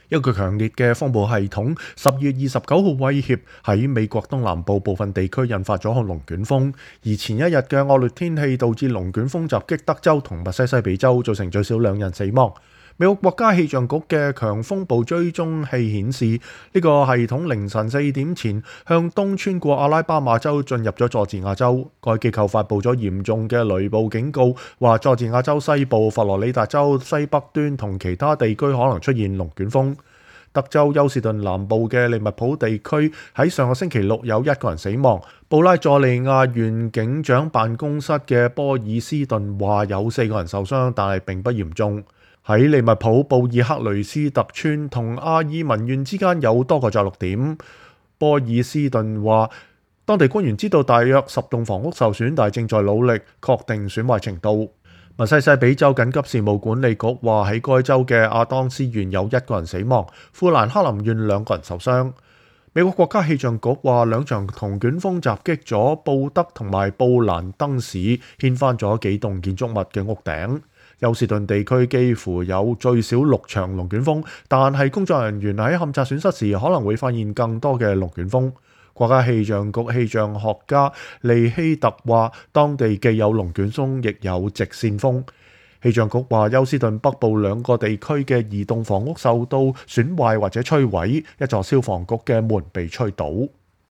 一個強烈嘅風暴系統10月29號威脅喺美國東南部部分地區引發咗龍捲風，而前一日嘅惡劣天氣導致龍捲風襲擊德州同密西西比州，造成最少2人死亡。美國國家氣象局嘅強風暴追蹤器顯示，呢個系統凌晨4點前向東穿過阿拉巴馬州，進入咗佐治亞州。該機構發布咗嚴重嘅雷暴警告，話佐治亞州西部、佛羅里達州西北端同其他地區可能出現龍捲風。德州休士頓南部嘅利物浦地區喺上個星期六有1個人死亡。布拉佐利亞縣警長辦公室嘅波爾斯頓話有4個人受傷，但係並不嚴重。喺利物浦布爾克雷斯特村同阿爾文縣之間有多個着陸點。波爾斯頓話，當地官員知道大約10棟房屋受損，但係正在努力確定損壞程度。密西西比州緊急事務管理局話喺該州嘅亞當斯縣有1個人死亡，富蘭克林縣2個人受傷。美國國家氣象局話2場龍捲風襲擊咗布德同埋布蘭登市，掀翻咗幾棟建築物嘅屋頂。休士頓地區幾乎有最少6場龍捲風，但係工作人員喺勘察損失時可能會發現更多嘅龍捲風。國家氣象局氣象學家利希特話，當地既有龍捲風，亦有直線風。氣象局話，休士頓北部2個地區嘅移動房屋受到損壞或者摧毀，一座消防局嘅門被吹倒。